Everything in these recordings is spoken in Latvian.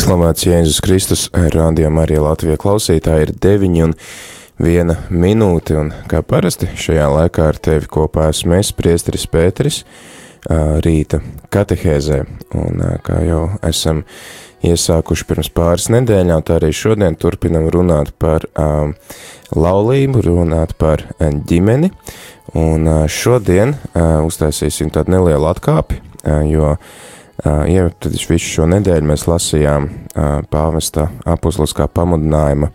Slavēts Jēzus Kristus, rādījumā arī Latvijas klausītāji ir 9:01, un kā parasti šajā laikā ar tevi kopā esmu es, priesteris Pēteris, rīta katehēzē, un kā jau esam iesākuši pirms pāris nedēļām, tā arī šodien turpinam runāt par laulību, runāt par ģimeni, un šodien uztaisīsim tādu nelielu atkāpi, jo tad visu šo nedēļu mēs lasījām pāvesta apostoliskā pamudinājuma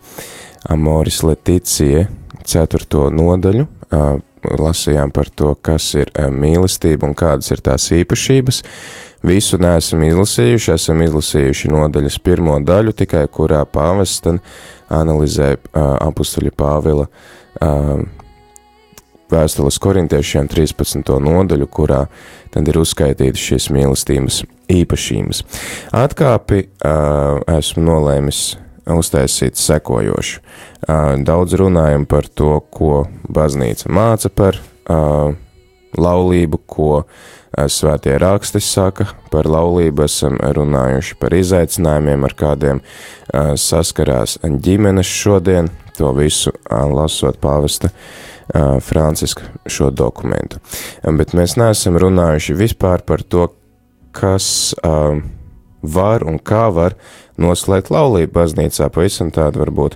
Amoris Laetitia 4. nodaļu, lasījām par to, kas ir mīlestība un kādas ir tās īpašības. Visu neesam izlasījuši, esam izlasījuši nodaļas 1. daļu, tikai kurā pāvests analizē apostoļa Pāvila vēstules korintiešiem 13. nodaļu, kurā tad ir uzskaitītas šīs mīlestības īpašības. Atkāpi esmu nolēmis uztaisīt sekojošu. Daudz runājam par to, ko baznīca māca par laulību, ko svētie raksti saka par laulību, esam runājuši par izaicinājumiem, ar kādiem saskarās ģimenes šodien, to visu lasot pāvesta Franciska šo dokumentu. Bet mēs neesam runājuši vispār par to, kas var un kā var noslēgt laulību baznīcā, pavisam tādi varbūt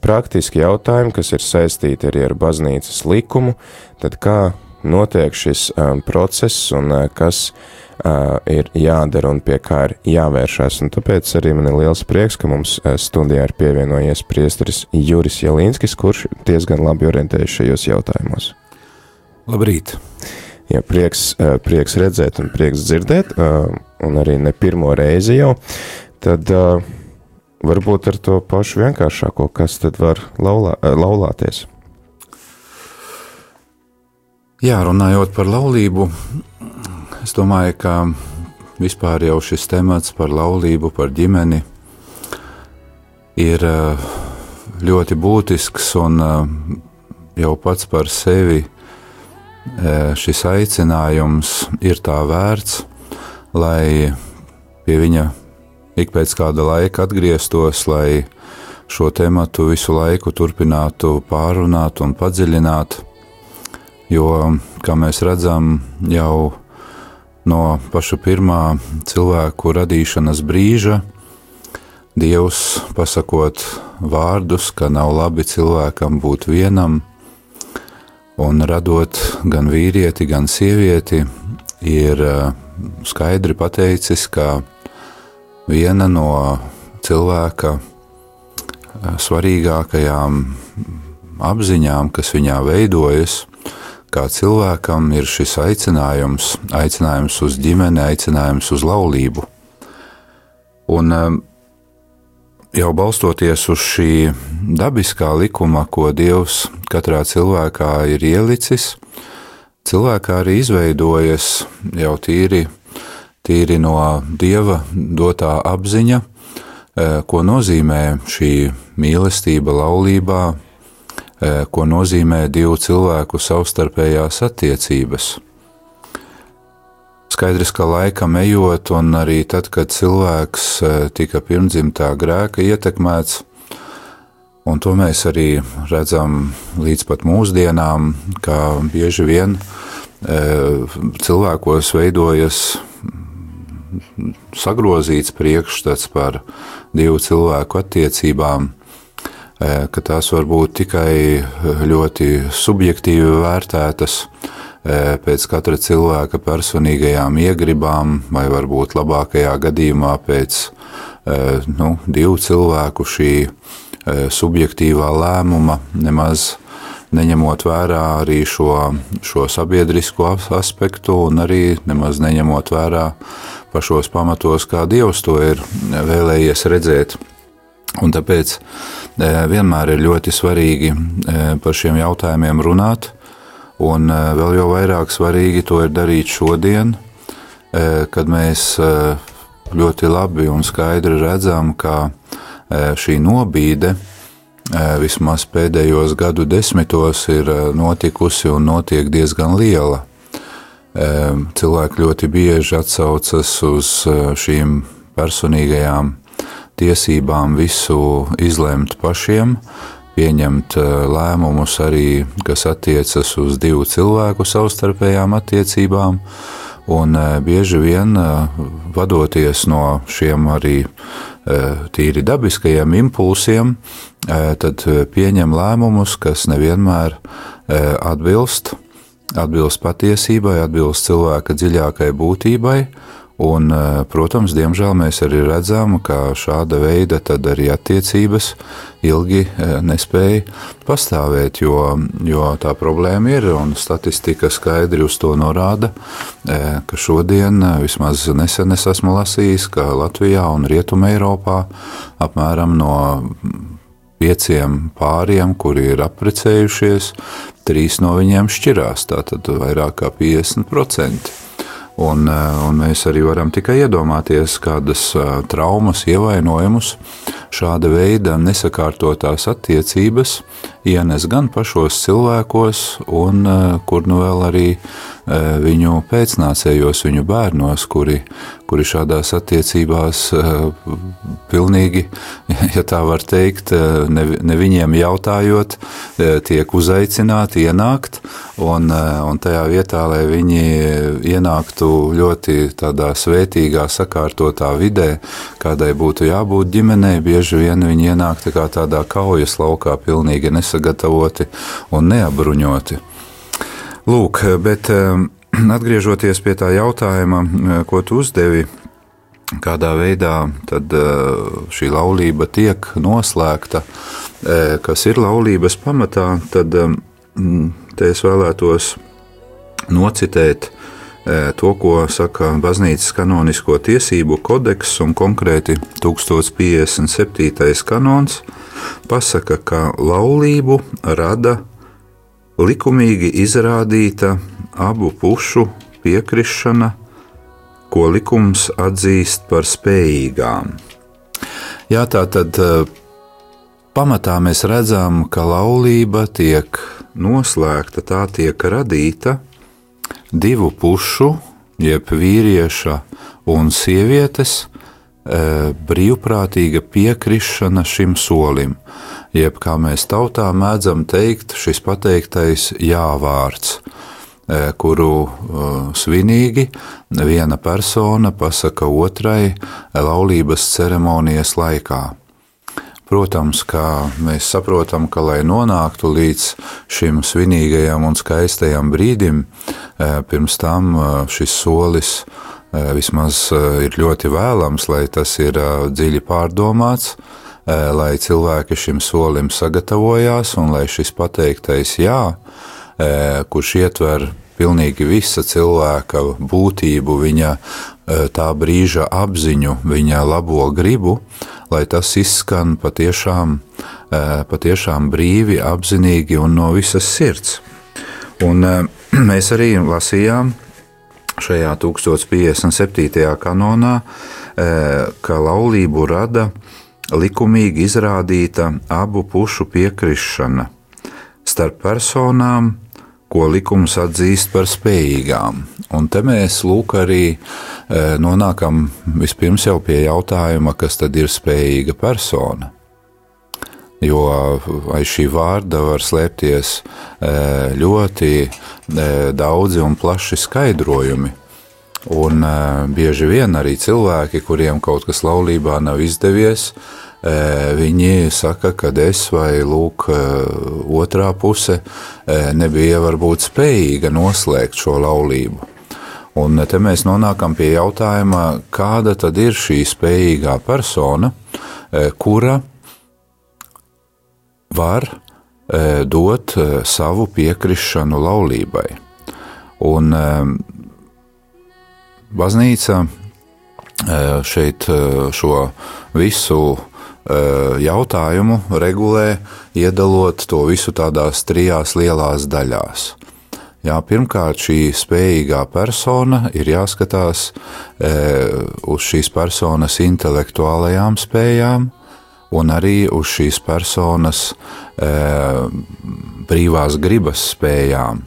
praktiski jautājumi, kas ir saistīti arī ar baznīcas likumu, tad kā notiek šis process un kas ir jādara un pie kā ir jāvēršās. Un tāpēc arī man ir liels prieks, ka mums studijā ir pievienojies priesteris Juris Jelīnskis, kurš diezgan labi orientējas šajos jautājumos. Labrīt! Jā, prieks redzēt un prieks dzirdēt, un arī ne pirmo reizi jau. Tad varbūt ar to pašu vienkāršāko, kas tad var laulāties? Jā, runājot par laulību, es domāju, ka vispār jau šis temats par laulību, par ģimeni ir ļoti būtisks un jau pats par sevi šis aicinājums ir tā vērts, lai pie viņa ik pēc kāda laika atgrieztos, lai šo tematu visu laiku turpinātu pārunāt un padziļināt, jo, kā mēs redzam, jau no paša pirmā cilvēku radīšanas brīža Dievs, pasakot vārdus, ka nav labi cilvēkam būt vienam, un radot gan vīrieti, gan sievieti, ir skaidri pateicis, ka viena no cilvēka svarīgākajām apziņām, kas viņā veidojas, kā cilvēkam ir šis aicinājums uz ģimeni, aicinājums uz laulību. Un jau balstoties uz šī dabiskā likuma, ko Dievs katrā cilvēkā ir ielicis, cilvēkā arī izveidojas jau tīri no Dieva dotā apziņa, ko nozīmē šī mīlestība laulībā, ko nozīmē divu cilvēku savstarpējās attiecības. Skaidrs, ka laikam ejot, un arī tad, kad cilvēks tika pirmdzimtā grēka ietekmēts, un to mēs arī redzam līdz pat mūsdienām, ka bieži vien cilvēkos veidojas sagrozīts priekšstats par divu cilvēku attiecībām, ka tās var būt tikai ļoti subjektīvi vērtētas pēc katra cilvēka personīgajām iegribām, vai varbūt labākajā gadījumā pēc divu cilvēku šī subjektīvā lēmuma, nemaz neņemot vērā arī šo sabiedrisko aspektu un arī nemaz neņemot vērā pašos pamatos, kā Dievs to ir vēlējies redzēt. Un tāpēc vienmēr ir ļoti svarīgi par šiem jautājumiem runāt, un vēl jau vairāk svarīgi to ir darīt šodien, kad mēs ļoti labi un skaidri redzam, ka šī nobīde vismaz pēdējos gadu desmitos ir notikusi un notiek diezgan liela. Cilvēki ļoti bieži atsaucas uz šīm personīgajām tiesībām visu izlemt pašiem, pieņemt lēmumus arī, kas attiecas uz divu cilvēku savstarpējām attiecībām, un bieži vien vadoties no šiem arī tīri dabiskajiem impulsiem, tad pieņem lēmumus, kas nevienmēr atbilst patiesībai, atbilst cilvēka dziļākai būtībai, un, protams, diemžēl mēs arī redzam, ka šāda veida tad arī attiecības ilgi nespēja pastāvēt, jo tā problēma ir, un statistika skaidri uz to norāda, ka šodien, vismaz nesen es esmu lasījis, ka Latvijā un Rietumē Eiropā apmēram no 5 pāriem, kuri ir apprecējušies, 3 no viņiem šķirās, tātad vairāk kā 50%. Un mēs arī varam tikai iedomāties, kādas traumas, ievainojumus šāda veida nesakārtotās attiecības ienes gan pašos cilvēkos, un kur nu vēl arī viņu pēcnācējos, viņu bērnos, kuri šādās attiecībās pilnīgi, ja tā var teikt, ne viņiem jautājot, tiek uzaicināti ienākt, un tajā vietā, lai viņi ienāktu ļoti tādā svētīgā, sakārtotā vidē, kādai būtu jābūt ģimenei, bieži vien viņi ienāk tādā kaujas laukā, pilnīgi nesagatavoti un neapbruņoti. Lūk, bet atgriežoties pie tā jautājuma, ko tu uzdevi, kādā veidā tad šī laulība tiek noslēgta, kas ir laulības pamatā, tad te es vēlētos nocitēt to, ko saka baznīcas kanonisko tiesību kodeks, un konkrēti 1057. kanons pasaka, ka laulību rada likumīgi izrādīta abu pušu piekrišana, ko likums atzīst par spējīgām. Jā, tātad pamatā mēs redzam, ka laulība tiek noslēgta, tā tiek radīta divu pušu, jeb vīrieša un sievietes brīvprātīga piekrišana šim solim, jeb, kā mēs tautā mēdzam teikt, šis pateiktais jā-vārds, kuru svinīgi viena persona pasaka otrai laulības ceremonijas laikā. Protams, kā mēs saprotam, ka, lai nonāktu līdz šim svinīgajam un skaistajam brīdim, pirms tam šis solis vismaz ir ļoti vēlams, lai tas ir dziļi pārdomāts, lai cilvēki šim solim sagatavojās un lai šis pateiktais jā, kurš ietver pilnīgi visa cilvēka būtību, viņa tā brīža apziņu, viņa labo gribu, lai tas izskan patiešām brīvi, apzinīgi un no visas sirds. Un mēs arī lasījām šajā 1057. kanonā, ka laulību rada likumīgi izrādīta abu pušu piekrišana starp personām, ko likums atzīst par spējīgām. Un te mēs lūk arī nonākam vispirms jau pie jautājuma, kas tad ir spējīga persona. Jo aiz šī vārda var slēpties ļoti daudzi un plaši skaidrojumi. Un bieži vien arī cilvēki, kuriem kaut kas laulībā nav izdevies, viņi saka, ka es vai lūk otrā puse nebija varbūt spējīga noslēgt šo laulību. Un te mēs nonākam pie jautājuma, kāda tad ir šī spējīgā persona, kura var dot savu piekrišanu laulībai. Un baznīca šeit šo visu jautājumu regulē, iedalot to visu tādās 3 lielās daļās. Jā, pirmkārt, šī spējīgā persona ir jāskatās uz šīs personas intelektuālajām spējām un arī uz šīs personas brīvās gribas spējām,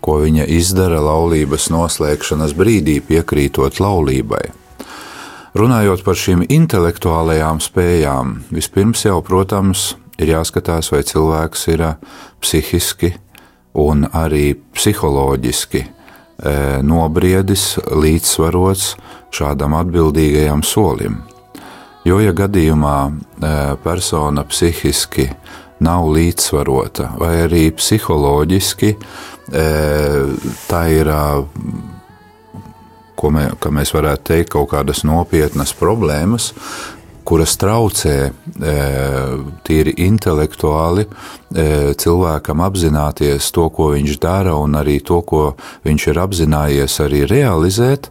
ko viņa izdara laulības noslēgšanas brīdī, piekrītot laulībai. Runājot par šīm intelektuālajām spējām, vispirms jau, protams, ir jāskatās, vai cilvēks ir psihiski un arī psiholoģiski nobriedis, līdzsvarots šādam atbildīgajam solim. Jo, ja gadījumā persona psihiski nav līdzsvarota, vai arī psiholoģiski, tā ir, ka mēs varētu teikt, kaut kādas nopietnas problēmas, kuras traucē tīri intelektuāli cilvēkam apzināties to, ko viņš dara, un arī to, ko viņš ir apzinājies arī realizēt.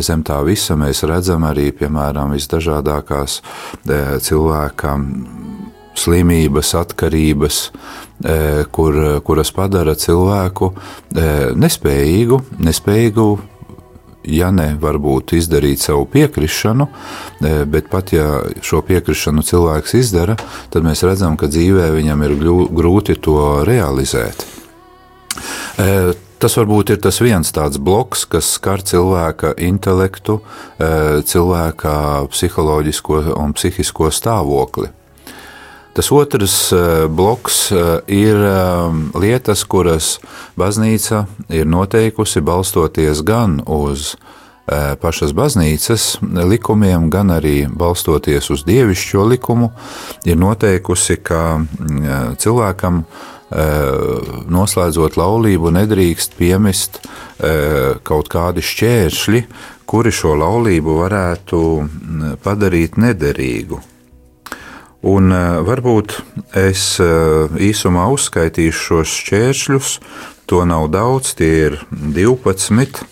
Zem tā visa mēs redzam arī, piemēram, visdažādākās cilvēkam slimības, atkarības, kuras padara cilvēku nespējīgu, ja ne varbūt izdarīt savu piekrišanu, bet pat ja šo piekrišanu cilvēks izdara, tad mēs redzam, ka dzīvē viņam ir grūti to realizēt. Tas varbūt ir tas viens tāds bloks, kas skar cilvēka intelektu, cilvēka psiholoģisko un psihisko stāvokli. Tas otrs bloks ir lietas, kuras baznīca ir noteikusi balstoties gan uz pašas baznīcas likumiem, gan arī balstoties uz dievišķo likumu, ir noteikusi, ka cilvēkam noslēdzot laulību nedrīkst piemist kaut kādi šķēršļi, kuri šo laulību varētu padarīt nederīgu. Un varbūt es īsumā uzskaitīšu šos šķēršļus, to nav daudz, tie ir 12,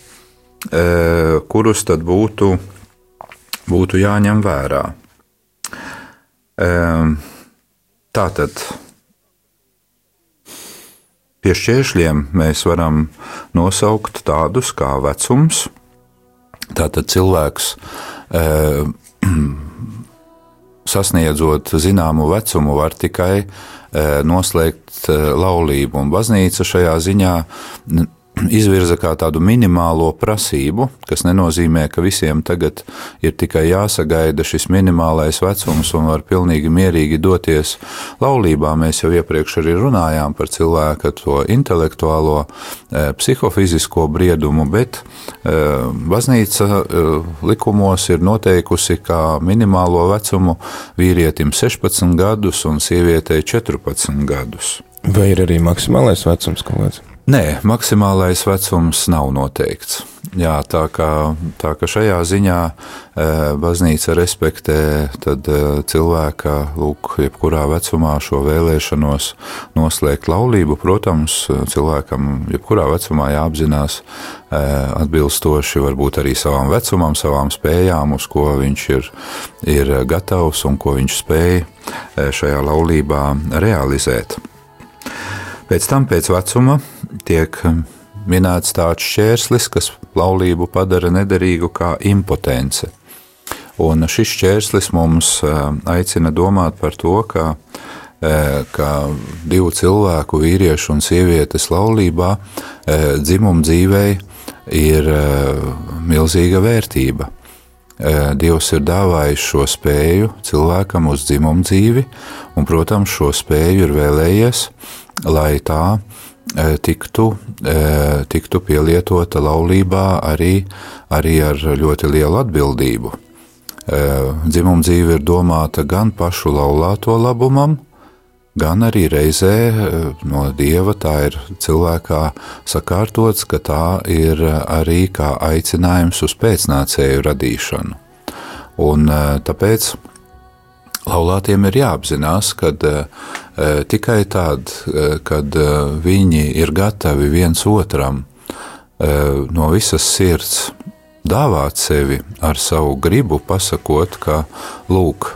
kurus tad būtu jāņem vērā. Tātad pie šķēršļiem mēs varam nosaukt tādus kā vecums. Tātad cilvēks sasniedzot zināmu vecumu, var tikai noslēgt laulību, un baznīca šajā ziņā izvirza kā tādu minimālo prasību, kas nenozīmē, ka visiem tagad ir tikai jāsagaida šis minimālais vecums un var pilnīgi mierīgi doties laulībā. Mēs jau iepriekš arī runājām par cilvēka to intelektuālo, psihofizisko briedumu, bet baznīca likumos ir noteikusi, kā minimālo vecumu vīrietim 16 gadus un sievietei 14 gadus. Vai ir arī maksimālais vecums kaut kāds? Nē, maksimālais vecums nav noteikts. Jā, tā kā šajā ziņā baznīca respektē tad cilvēka, jebkurā vecumā šo vēlēšanos noslēgt laulību. Protams, cilvēkam jebkurā vecumā jāapzinās atbilstoši varbūt arī savam vecumam, savām spējām, uz ko viņš ir gatavs un ko viņš spēj šajā laulībā realizēt. Pēc tam, pēc vecuma, tiek minēts tāds šķērslis, kas laulību padara nederīgu kā impotence. Un šis šķērslis mums aicina domāt par to, ka divu cilvēku, vīriešu un sievietes laulībā, dzimuma dzīvei ir milzīga vērtība. Dievs ir dāvājis šo spēju cilvēkam uz dzimumu dzīvi, un, protams, šo spēju ir vēlējies, lai tā tiktu pielietota laulībā arī ar ļoti lielu atbildību. Dzimuma dzīve ir domāta gan pašu laulāto labumam, gan arī reizē no Dieva tā ir cilvēkā sakārtots, ka tā ir arī kā aicinājums uz pēcnācēju radīšanu. Un tāpēc laulātiem ir jāapzinās, ka tikai tad, kad viņi ir gatavi viens otram no visas sirds dāvāt sevi ar savu gribu, pasakot, ka, lūk,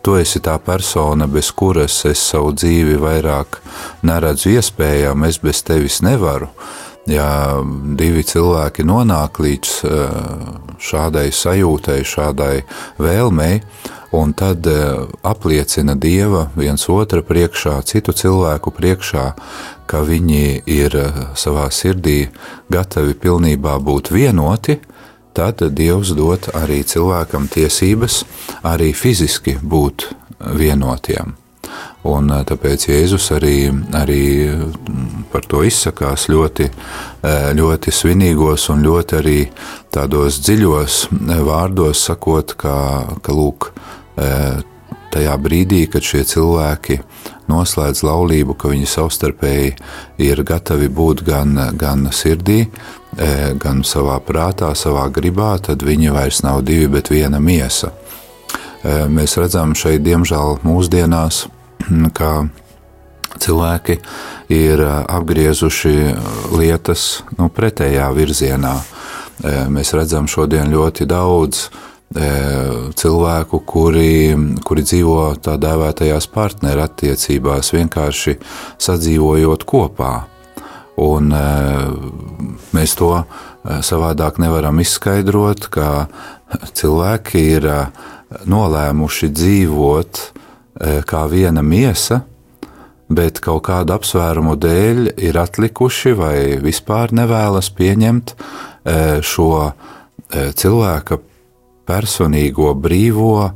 tu esi tā persona, bez kuras es savu dzīvi vairāk neredzu iespējām, es bez tevis nevaru. Ja divi cilvēki nonāk līdz šādai sajūtai, šādai vēlmei, un tad apliecina Dieva viens otra priekšā, citu cilvēku priekšā, ka viņi ir savā sirdī gatavi pilnībā būt vienoti, tad Dievs dod arī cilvēkam tiesības arī fiziski būt vienotiem. Un tāpēc Jēzus arī par to izsakās ļoti, ļoti svinīgos un ļoti arī tādos dziļos vārdos sakot, ka lūk, tajā brīdī, kad šie cilvēki noslēdz laulību, ka viņi savstarpēji ir gatavi būt gan sirdī, gan savā prātā, savā gribā, tad viņi vairs nav divi, bet viena miesa. Mēs redzam šeit, diemžēl, mūsdienās, ka cilvēki ir apgriezuši lietas pretējā virzienā. Mēs redzam šodien ļoti daudz cilvēku, kuri dzīvo tā dēvētajās partneru attiecībās, vienkārši sadzīvojot kopā. Un mēs to savādāk nevaram izskaidrot, ka cilvēki ir nolēmuši dzīvot kā viena miesa, bet kaut kādu apsvērumu dēļ ir atlikuši vai vispār nevēlas pieņemt šo cilvēka personīgo brīvo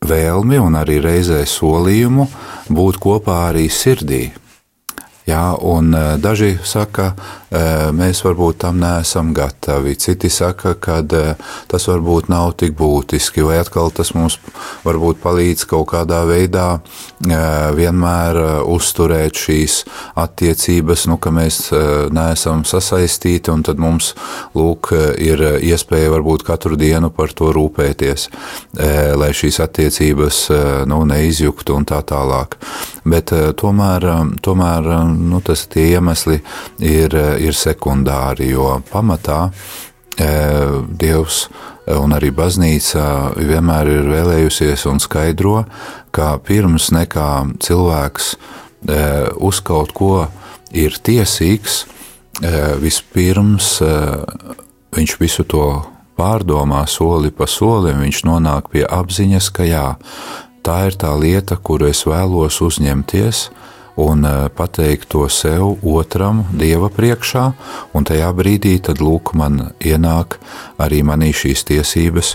vēlmi un arī reizē solījumu būt kopā arī sirdī. Jā, un daži saka, mēs varbūt tam neesam gatavi, citi saka, ka tas varbūt nav tik būtiski, vai atkal tas mums varbūt palīdz kaut kādā veidā vienmēr uzturēt šīs attiecības, ka mēs neesam sasaistīti, un tad mums, lūk, ir iespēja varbūt katru dienu par to rūpēties, lai šīs attiecības, neizjuktu un tā tālāk. Bet tomēr tie iemesli ir sekundāri, jo pamatā Dievs un arī baznīca vienmēr ir vēlējusies un skaidro, ka pirms nekā cilvēks uz kaut ko ir tiesīgs, vispirms viņš visu to pārdomā soli pa solim, viņš nonāk pie apziņas, ka jā, tā ir tā lieta, kuru es vēlos uzņemties, un pateikt to sev otram Dieva priekšā, un tajā brīdī tad lūk man ienāk arī manī šīs tiesības,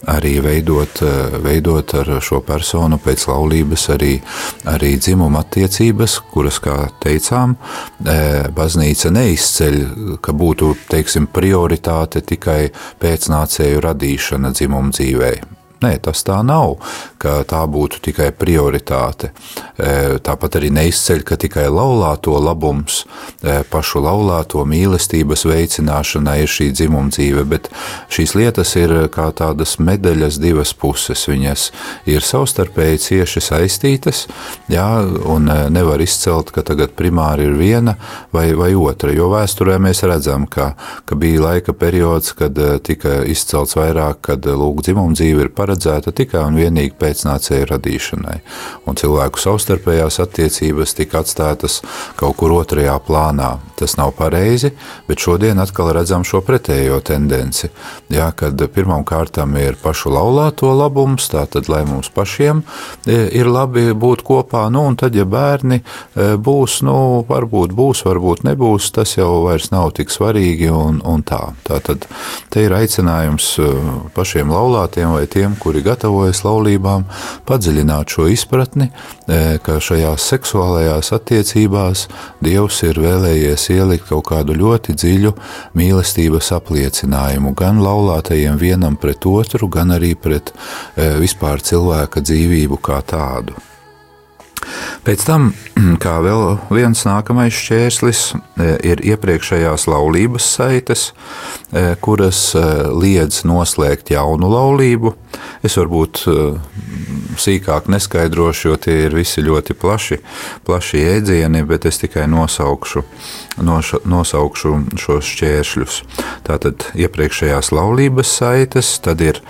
arī veidot ar šo personu pēc laulības arī dzimuma attiecības, kuras, kā teicām, baznīca neizceļ, ka būtu, teiksim, prioritāte tikai pēcnācēju radīšana dzimuma dzīvē. Nē, tas tā nav, ka tā būtu tikai prioritāte. Tāpat arī neizceļ, ka tikai laulāto labums, pašu laulāto mīlestības veicināšanai ir šī dzimuma dzīve, bet šīs lietas ir kā tādas medaļas divas puses. Viņas ir savstarpēji cieši saistītas, jā, un nevar izcelt, ka tagad primāri ir viena vai otra, jo vēsturē mēs redzam, ka bija laika periods, kad tika izcelts vairāk, kad lūk dzimuma dzīve ir paredzēta tikai un vienīgi pēcnācēju radīšanai. Un cilvēku savstarpējās attiecības tika atstātas kaut kur otrajā plānā. Tas nav pareizi, bet šodien atkal redzam šo pretējo tendenci. Jā, kad pirmām kārtām ir pašu laulāto labums, tātad, lai mums pašiem ir labi būt kopā, un tad, ja bērni būs, varbūt būs, varbūt nebūs, tas jau vairs nav tik svarīgi un tā. Tātad, te ir aicinājums pašiem laulātiem vai tiem, kuri gatavojas laulībām, padziļināt šo izpratni, ka šajās seksuālajās attiecībās Dievs ir vēlējies ielikt kaut kādu ļoti dziļu mīlestības apliecinājumu gan laulātajiem vienam pret otru, gan arī pret vispār cilvēka dzīvību kā tādu. Pēc tam, kā vēl viens nākamais šķērslis, ir iepriekšējās laulības saites, kuras liedz noslēgt jaunu laulību. Es varbūt sīkāk neskaidrošu, jo tie ir visi ļoti plaši jēdzieni, bet es tikai nosaukšu šos šķēršļus. Tātad iepriekšējās laulības saites, tad ir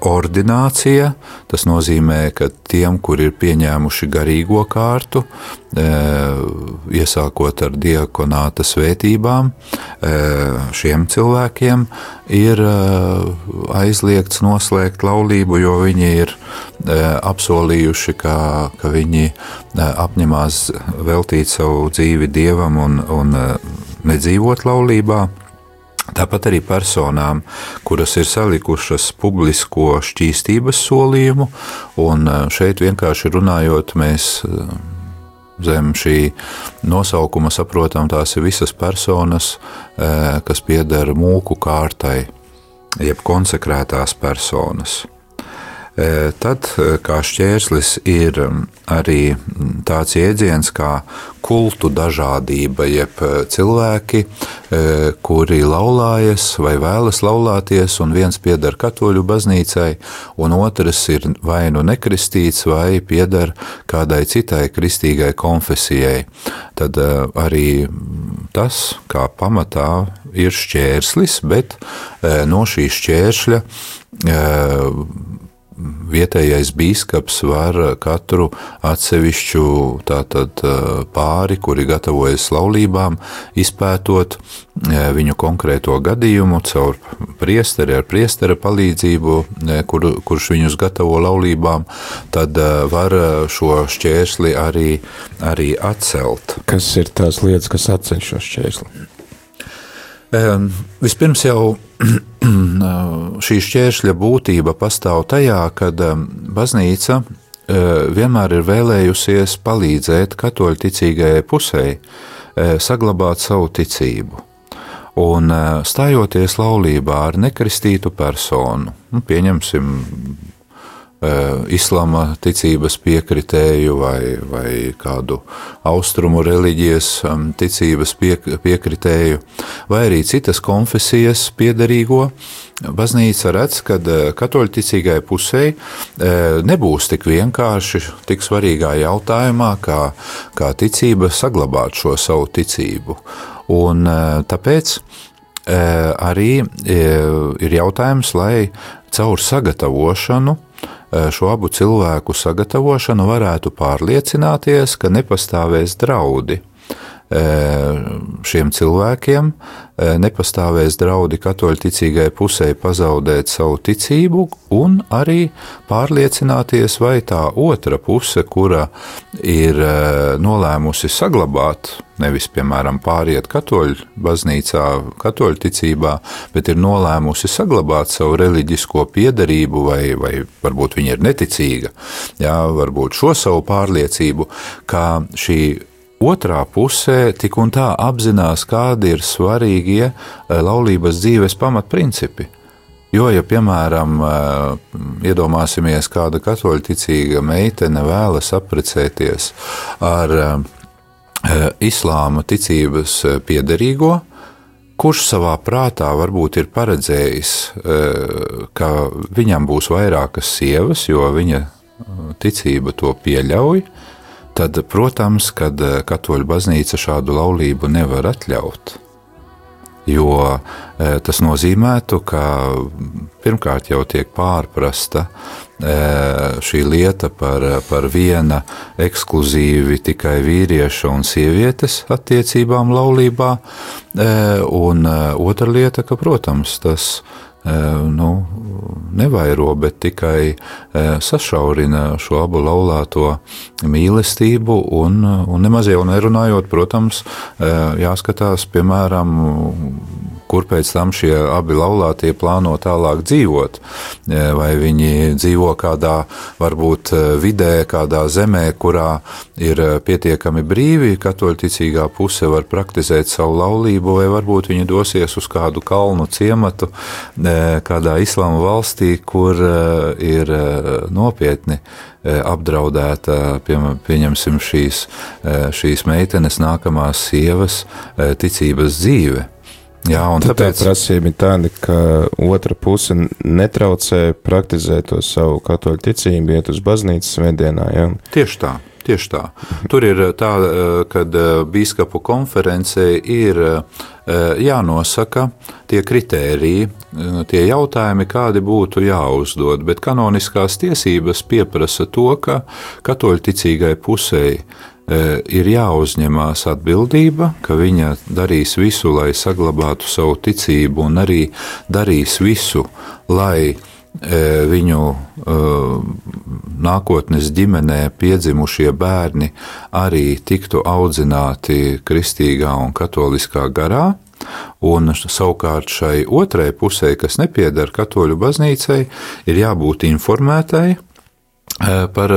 ordinācija, tas nozīmē, ka tiem, kur ir pieņēmuši garīgo kārtu, iesākot ar diakonāta svētībām, šiem cilvēkiem ir aizliegts noslēgt laulību, jo viņi ir apsolījuši, ka viņi apņemās veltīt savu dzīvi Dievam un nedzīvot laulībā. Tāpat arī personām, kuras ir salikušas publisko šķīstības solījumu, un šeit vienkārši runājot, mēs zem šī nosaukuma saprotam, tās ir visas personas, kas pieder mūku kārtai, jeb konsekrētās personas. Tad kā šķērslis ir arī tāds jēdziens kā kultu dažādība, jeb cilvēki, kuri laulājas vai vēlas laulāties, un viens pieder katoļu baznīcai, un otrs ir vai nu nekristīts, vai pieder kādai citai kristīgai konfesijai. Tad arī tas, kā pamatā, ir šķērslis, bet no šī šķēršļa vietējais bīskaps var katru atsevišķu tātad pāri, kuri gatavojas laulībām, izpētot viņu konkrēto gadījumu caur priesteri ar priestera palīdzību, kurš viņus gatavo laulībām, tad var šo šķērsli arī atcelt. Kas ir tās lietas, kas atceļ šo šķērsli? Vispirms jau šī šķēršļa būtība pastāv tajā, kad baznīca vienmēr ir vēlējusies palīdzēt katoļticīgajai pusei saglabāt savu ticību. Un stājoties laulībā ar nekristītu personu, pieņemsim islama ticības piekritēju vai kādu austrumu reliģijas ticības piekritēju, vai arī citas konfesijas piederīgo, baznīca redz, ka katoļticīgai pusei nebūs tik vienkārši, tik svarīgā jautājumā, kā ticība saglabāt šo savu ticību. Un tāpēc arī ir jautājums, lai caur sagatavošanu, šo abu cilvēku sagatavošanu varētu pārliecināties, ka nepastāvēs draudi šiem cilvēkiem, nepastāvēs draudi katoļticīgai pusei pazaudēt savu ticību, un arī pārliecināties, vai tā otra puse, kura ir nolēmusi saglabāt, nevis, piemēram, pāriet katoļu baznīcā, katoļu ticībā, bet ir nolēmusi saglabāt savu reliģisko piederību, vai varbūt viņa ir neticīga, jā, varbūt šo savu pārliecību, kā šī otrā pusē tik un tā apzinās, kādi ir svarīgie laulības dzīves pamatprincipi. Jo, ja, piemēram, iedomāsimies, kāda katoļticīga meitene vēlas apprecēties ar islāma ticības piederīgo, kurš savā prātā varbūt ir paredzējis, ka viņam būs vairākas sievas, jo viņa ticība to pieļauj, tad, protams, kad katoļu baznīca šādu laulību nevar atļaut, jo tas nozīmētu, ka pirmkārt jau tiek pārprasta šī lieta par viena ekskluzīvi tikai vīrieša un sievietes attiecībām laulībā, un otra lieta, ka, protams, tas nevairo, bet tikai sašaurina šo abu laulāto mīlestību, un nemaz jau nerunājot, protams, jāskatās, piemēram, kur pēc tam šie abi laulātie plāno tālāk dzīvot, vai viņi dzīvo kādā, varbūt vidē, kādā zemē, kurā ir pietiekami brīvi, katoļticīgā puse var praktizēt savu laulību, vai varbūt viņi dosies uz kādu kalnu ciematu, kādā islāma valstī, kur ir nopietni apdraudēta, pieņemsim, šīs meitenes nākamās sievas ticības dzīve. Jā, un tāpēc tā prasība ir tāda, ka otra puse netraucē praktizēt to savu katoļu ticību, iet uz baznīcas svētdienā, jā? Tieši tā. Tur ir tā, kad bīskapu konferencē ir jānosaka tie kritēriji, tie jautājumi, kādi būtu jāuzdod, bet kanoniskās tiesības pieprasa to, ka katoļticīgai pusei ir jāuzņemās atbildība, ka viņa darīs visu, lai saglabātu savu ticību, un arī darīs visu, lai viņu nākotnes ģimenē piedzimušie bērni arī tiktu audzināti kristīgā un katoliskā garā, Un savukārt šai otrai pusē, kas nepieder katoļu baznīcai, ir jābūt informētai par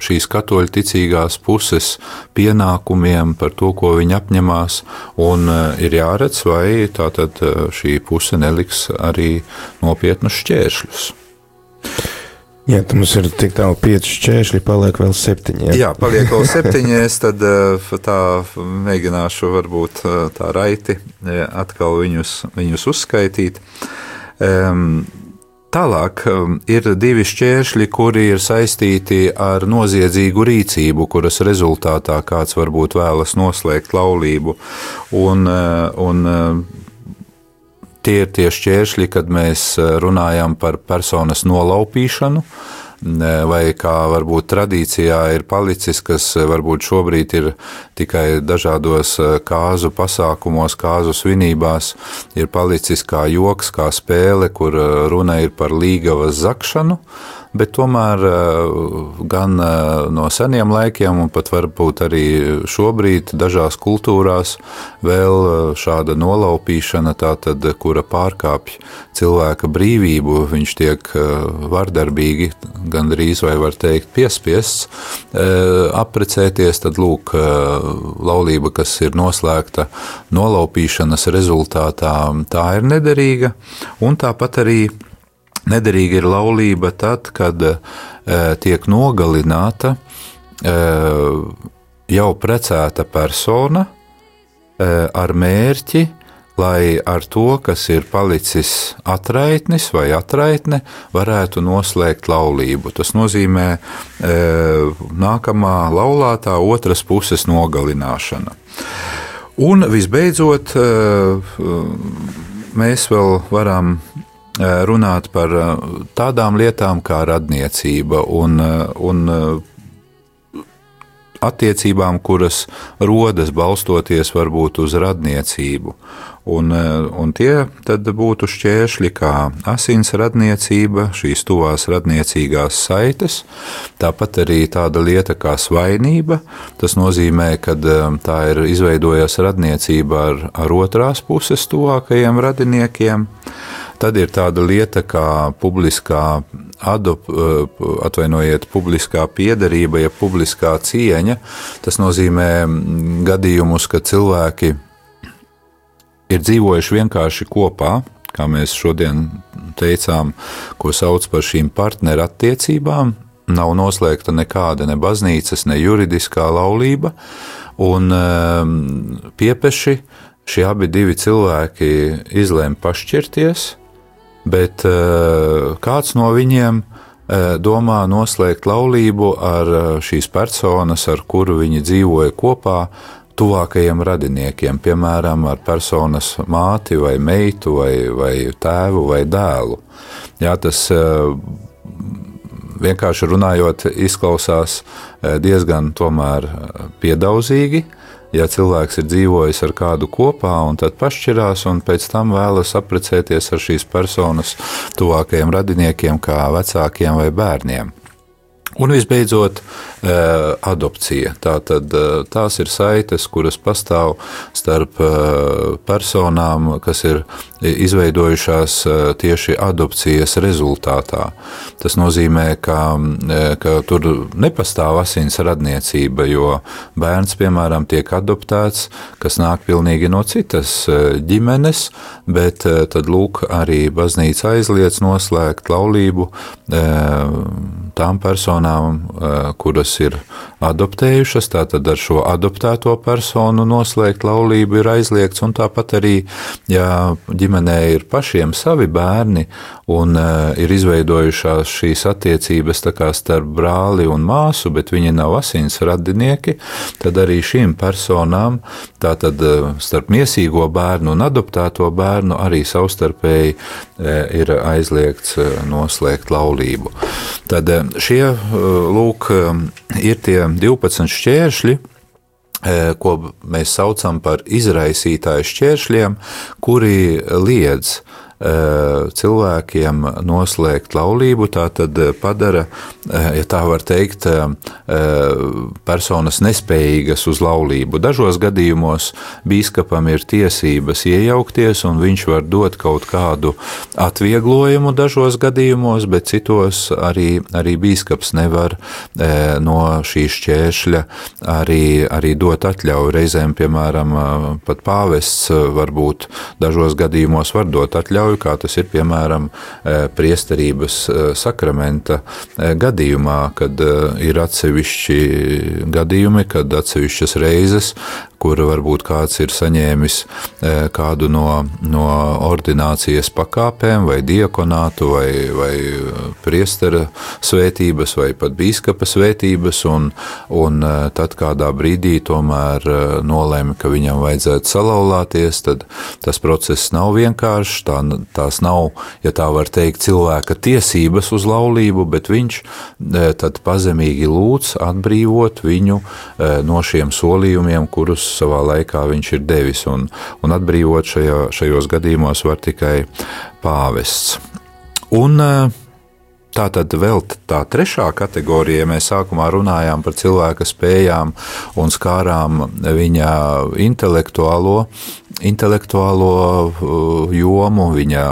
šīs katoļu ticīgās puses pienākumiem, par to, ko viņi apņemās, un ir jāredz, vai tātad šī puse neliks arī nopietnus šķēršļus. Jā, tad mums ir tik tālu 5 šķēršļi, paliek vēl 7. Jā, paliek vēl 7, es tad tā mēģināšu varbūt tā raiti atkal viņus uzskaitīt. Tālāk ir 2 šķēršļi, kuri ir saistīti ar noziedzīgu rīcību, kuras rezultātā kāds varbūt vēlas noslēgt laulību. Un tie ir tie šķēršļi, kad mēs runājam par personas nolaupīšanu, vai kā varbūt tradīcijā ir palicis, kas varbūt šobrīd ir tikai dažādos kāzu pasākumos, kāzu svinībās, ir palicis kā joks, kā spēle, kur runa ir par līgavas zakšanu, bet tomēr gan no seniem laikiem un pat varbūt arī šobrīd dažās kultūrās vēl šāda nolaupīšana, tātad, kura pārkāpj cilvēka brīvību, viņš tiek vardarbīgi, gandrīz vai var teikt piespiests apprecēties, tad lūk, laulība, kas ir noslēgta nolaupīšanas rezultātā, tā ir nederīga, un tāpat arī nederīga ir laulība tad, kad tiek nogalināta jau precēta persona ar mērķi, lai ar to, kas ir palicis atraitnis vai atraitne, varētu noslēgt laulību. Tas nozīmē nākamā laulātā otras puses nogalināšana. Un visbeidzot, mēs vēl varam runāt par tādām lietām kā radniecība un attiecībām, kuras rodas balstoties varbūt uz radniecību. Un tie tad būtu šķēršļi kā asins radniecība, šīs tuvās radniecīgās saites, tāpat arī tāda lieta kā svainība. Tas nozīmē, ka tā ir izveidojas radniecība ar otrās puses tuvākajiem radiniekiem. Tad ir tāda lieta kā publiskā publiskā piederība, ja publiskā cieņa. Tas nozīmē gadījumus, kad cilvēki ir dzīvojuši vienkārši kopā, kā mēs šodien teicām, ko sauc par šīm partneru attiecībām. Nav noslēgta nekāda ne baznīcas, ne juridiskā laulība, un piepeši šie abi divi cilvēki izlēma pašķirties, bet kāds no viņiem domā noslēgt laulību ar šīs personas, ar kuru viņi dzīvoja kopā, tuvākajiem radiniekiem, piemēram, ar personas māti vai meitu vai tēvu vai dēlu. Jā, tas vienkārši runājot izklausās diezgan tomēr piedaudzīgi, ja cilvēks ir dzīvojis ar kādu kopā un tad pašķirās un pēc tam vēlas apprecēties ar šīs personas tuvākajiem radiniekiem kā vecākiem vai bērniem. Un visbeidzot, adopcija. Tātad tās ir saites, kuras pastāv starp personām, kas ir izveidojušās tieši adopcijas rezultātā. Tas nozīmē, ka tur nepastāv asins radniecība, jo bērns, piemēram, tiek adoptēts, kas nāk pilnīgi no citas ģimenes, bet tad lūk arī baznīca aizliedz noslēgt laulību tām personām, kuras ir adoptējušas, tātad ar šo adoptēto personu noslēgt laulību ir aizliegts, un tāpat arī, ja ģimenē ir pašiem savi bērni un ir izveidojušās šīs attiecības tā kā starp brāli un māsu, bet viņi nav asins radinieki, tad arī šīm personām, tātad starp miesīgo bērnu un adoptēto bērnu arī savstarpēji ir aizliegts noslēgt laulību. Tad šie, lūk, ir tie 12 šķēršļi, ko mēs saucam par izraisītāju šķēršļiem, kuri liedz cilvēkiem noslēgt laulību, tā tad padara, ja tā var teikt, personas nespējīgas uz laulību. Dažos gadījumos bīskapam ir tiesības iejaukties, un viņš var dot kaut kādu atvieglojumu dažos gadījumos, bet citos arī bīskaps nevar no šī šķēršļa arī dot atļauju. Reizēm, piemēram, pat pāvests varbūt dažos gadījumos var dot atļauju, kā tas ir, piemēram, priesterības sakramenta gadījumā, kad ir atsevišķi gadījumi, kad atsevišķas reizes, kur varbūt kāds ir saņēmis kādu no ordinācijas pakāpēm, vai diakonātu, vai priestera svētības, vai pat bīskapa svētības, un tad kādā brīdī tomēr nolēma, ka viņam vajadzētu salauzties, tad tas process nav vienkāršs, tās nav, ja tā var teikt, cilvēka tiesības uz laulību, bet viņš tad pazemīgi lūdz atbrīvot viņu no šiem solījumiem, kurus savā laikā viņš ir devis, un atbrīvot šajos gadījumos var tikai pāvests. Un tā tad vēl tā trešā kategorija, ja mēs sākumā runājām par cilvēka spējām un skārām viņa intelektuālo jomu, viņa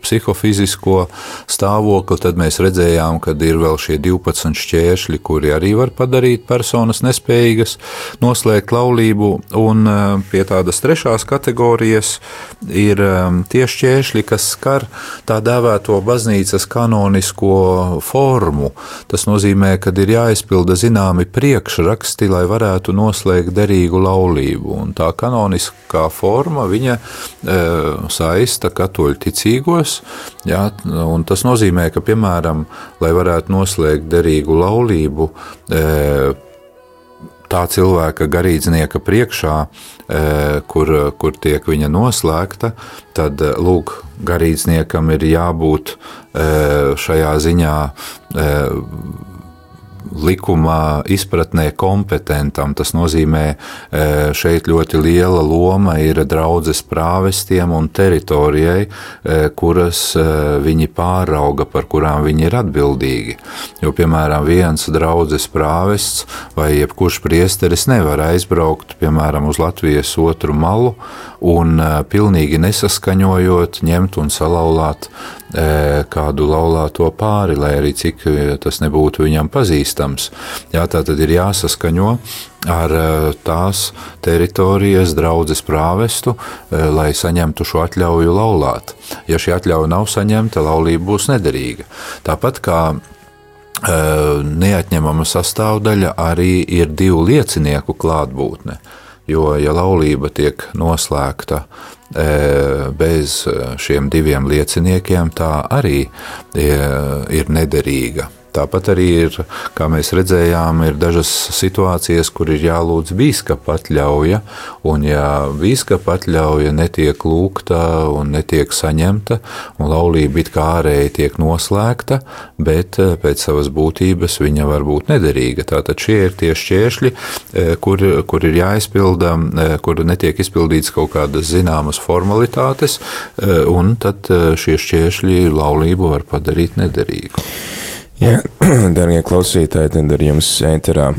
psihofizisko stāvokli, tad mēs redzējām, ka ir vēl šie 12 šķēršļi, kuri arī var padarīt personas nespējīgas noslēgt laulību, un pie tādas trešās kategorijas ir tie šķēršļi, kas skar tā dēvēto baznīcas kanonisko formu. Tas nozīmē, ka ir jāizpilda zināmi priekšraksti, lai varētu noslēgt derīgu laulību, un tā kanoniskā forma, viņa saista katoļu ticīgos, jā, un tas nozīmē, ka, piemēram, lai varētu noslēgt derīgu laulību, tā cilvēka garīdznieka priekšā, kur tiek viņa noslēgta, tad, lūk, garīdzniekam ir jābūt šajā ziņā likumā izpratnē kompetentam. Tas nozīmē, šeit ļoti liela loma ir draudzes prāvestiem un teritorijai, kuras viņi pārauga, par kurām viņi ir atbildīgi. Jo, piemēram, viens draudzes prāvests vai jebkurš priesteris nevar aizbraukt, piemēram, uz Latvijas otru malu un pilnīgi nesaskaņojot ņemt un salauzāt kādu laulāto pāri, lai arī cik tas nebūtu viņam pazīstams. Jā, tā tad ir jāsaskaņo ar tās teritorijas draudzes prāvestu, lai saņemtu šo atļauju laulāt. Ja šī atļauja nav saņemta, laulība būs nederīga. Tāpat kā neatņemama sastāvdaļa arī ir 2 liecinieku klātbūtne. Jo, ja laulība tiek noslēgta bez šiem 2 lieciniekiem, tā arī ir nederīga. Tāpat arī ir, kā mēs redzējām, ir dažas situācijas, kur ir jālūdz bīskapa atļauja, un ja bīskapa atļauja netiek lūgta un netiek saņemta, un laulība it kā ārēji tiek noslēgta, bet pēc savas būtības viņa var būt nederīga. Tātad šie ir tie šķēršļi, kur ir jāizpilda, kur netiek izpildīts kaut kādas zināmas formalitātes, un tad šie šķēršļi laulību var padarīt nederīgu. Jā, darbie klausītāji, tad ar jums ēterā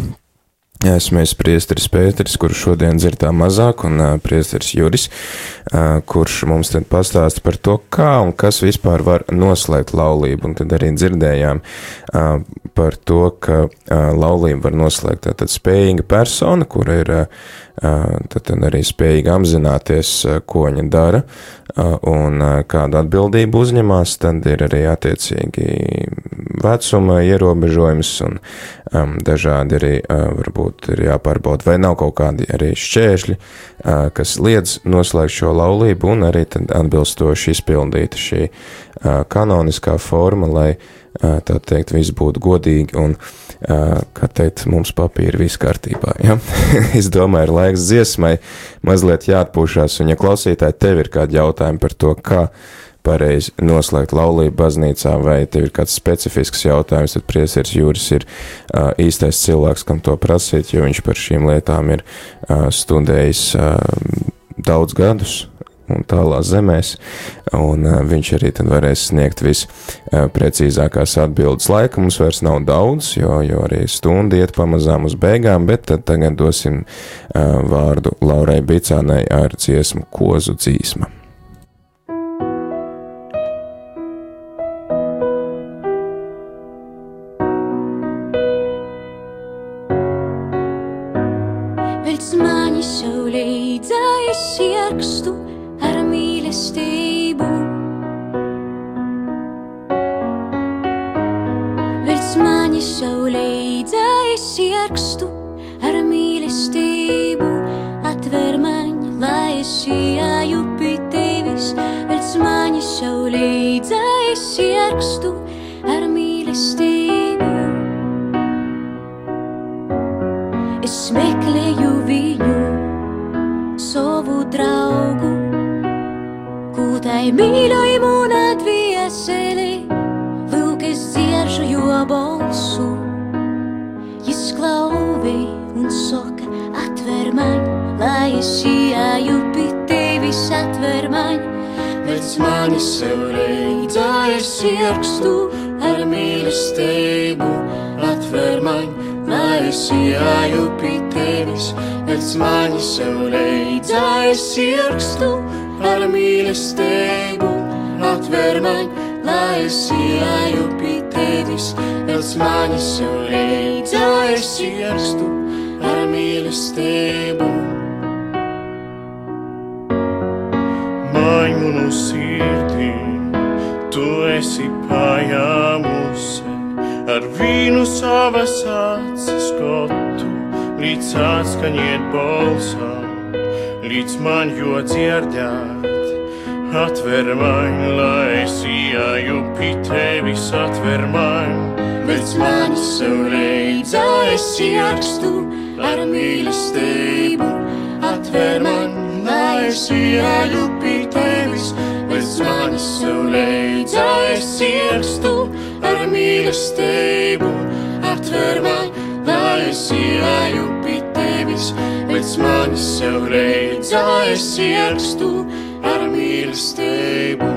esmu priesteris Pēteris, kurš šodien dzird tā mazāk, un priesteris Juris, kurš mums tad pastāsta par to, kā un kas vispār var noslēgt laulību, un tad arī dzirdējām par to, ka laulību var noslēgt tātad spējīga persona, kura ir tad arī spējīga apzināties, ko viņa dara, un kādu atbildību uzņemās, tad ir arī attiecīgi vecuma ierobežojums, un dažādi arī varbūt ir jāpārbauda, vai nav kaut kādi arī šķēršļi, kas liedz noslēgt šo laulību, un arī tad atbilstoši izpildīta šī kanoniskā forma, lai tā teikt, viss būtu godīgi un, kā teikt, mums papīri viss kārtībā, ja? Es domāju, ir laiks dziesmai, mazliet jāatpūšās, un ja klausītāji tev ir kādi jautājumi par to, kā pareizi noslēgt laulību baznīcā, vai tev ir kāds specifisks jautājums, tad priesteris Juris ir īstais cilvēks, kam to prasīt, jo viņš par šīm lietām ir studējis daudz gadus, un tālās zemēs, un viņš arī tad varēs sniegt visprecīzākās atbildes. Laika mums vairs nav daudz, jo arī stunda iet pamazām uz beigām, bet tad tagad dosim vārdu Laurai Bicānai ar dziesmu Kozu dzīsma. Velc mani saulē dzēs ierakstu ar mīlestību. Velc mani saulē dzēs ierakstu ar mīlestību. Atver man, lai es ieju pie tevis. Velc mani saulē dzēs ierakstu ar mīlestību. Es meklēju viņu, savu draugu, kūtai mīļoju mūna dvieseli. Lūk, es dzieržu jo balsu. Jis klauvē un saka, atver man, lai es ieju pie tevis, atver man. Velc mani saulē dzēs ierakstu ar mīlestību, atver man, lai es ieju pie tevis. Velc mani saulē dzēs ierakstu ar mīlestību, atver man, lai es ieju pie tevis. Velc mani saulē dzēs ierakstu ar mīlestību. Maimunu sirdī, tu esi paņēmusi ar vīnu savas acis skotu, līdz atskaņiet balsam, līdz man jo dzirdēt. Atver man, lai es ieju pie tevis, atver man. Velc mani saulē dzēs ierakstu ar mīlestību, atver man, lai es ieju pie tevis. Velc mani saulē dzēs ierakstu ar mīlestību, atver man, lai es ieju pie tevis. Velc mani saulē dzēs ierakstu ar mīlestību.